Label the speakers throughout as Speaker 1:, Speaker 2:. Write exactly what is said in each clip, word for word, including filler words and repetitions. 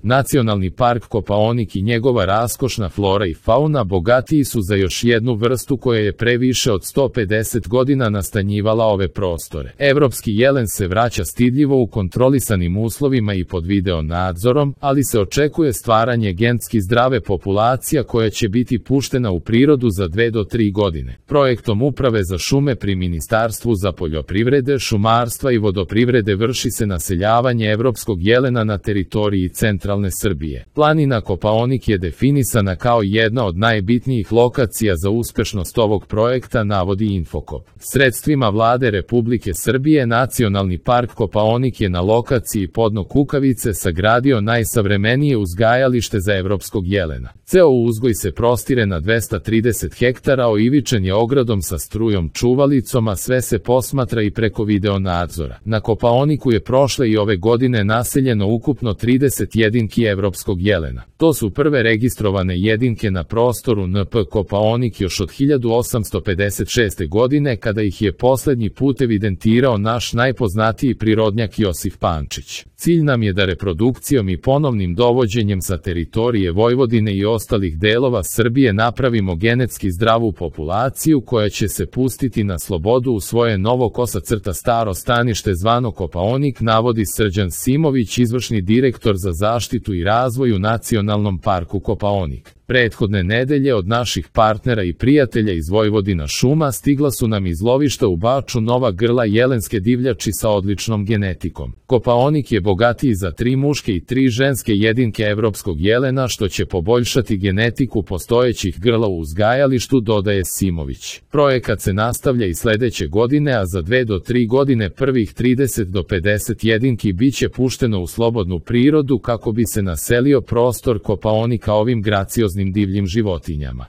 Speaker 1: Nacionalni park Kopaonik i njegova raskošna flora i fauna bogatiji su za još jednu vrstu koja je pre više od sto pedeset godina nastanjivala ove prostore. Evropski jelen se vraća stidljivo u kontrolisanim uslovima i pod video nadzorom, ali se očekuje stvaranje genetski zdrave populacija koja će biti puštena u prirodu za dve do tri godine. Projektom Uprave za šume pri Ministarstvu za poljoprivrede, šumarstva i vodoprivrede vrši se naseljavanje evropskog jelena na teritoriji centralne Srbije. Planina Kopaonik je definisana kao jedna od najbitnijih lokacija za uspešnost ovog projekta, navodi Infokop. Sredstvima Vlade Republike Srbije Nacionalni park Kopaonik je na lokaciji Podno Kukavice sagradio najsavremenije uzgajalište za evropskog jelena. Ceo uzgoj se prostire na dvesta trideset hektara, oivičen je ogradom sa strujom čuvalicom, a sve se posmatra i preko video nadzora. Na Kopaoniku je prošle i ove godine naseljeno ukupno trideset jedinki evropskog jelena. To su prve registrovane jedinke na prostoru N P Kopaonik još od hiljadu osamsto pedeset šeste. godine, kada ih je poslednji put evidentirao naš najpoznatiji prirodnjak Josif Pančić. Cilj nam je da reprodukcijom i ponovnim dovođenjem sa teritorije Vojvodine i ostalih delova Srbije napravimo genetski zdravu populaciju koja će se pustiti na slobodu u svoje novo kosa crta staro stanište zvano Kopaonik, navodi Srđan Simović, izvršni direktor za zaštitu i razvoj u Nacionalnom parku Kopaonik. Prethodne nedelje od naših partnera i prijatelja iz Vojvodina šuma stigla su nam iz lovišta u Baču nova grla jelenske divljači sa odličnom genetikom. Kopaonik je bogatiji za tri muške i tri ženske jedinke evropskog jelena, što će poboljšati genetiku postojećih grla u uzgajalištu, dodaje Simović. Projekat se nastavlja i sledeće godine, a za dve do tri godine prvih trideset do pedeset jedinki biće pušteno u slobodnu prirodu kako bi se naselio prostor Kopaonika ovim gracioznim divljim životinjama.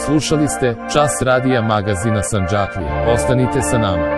Speaker 1: Slušali ste Čas radija magazina Sandžaklija. Ostanite sa nama.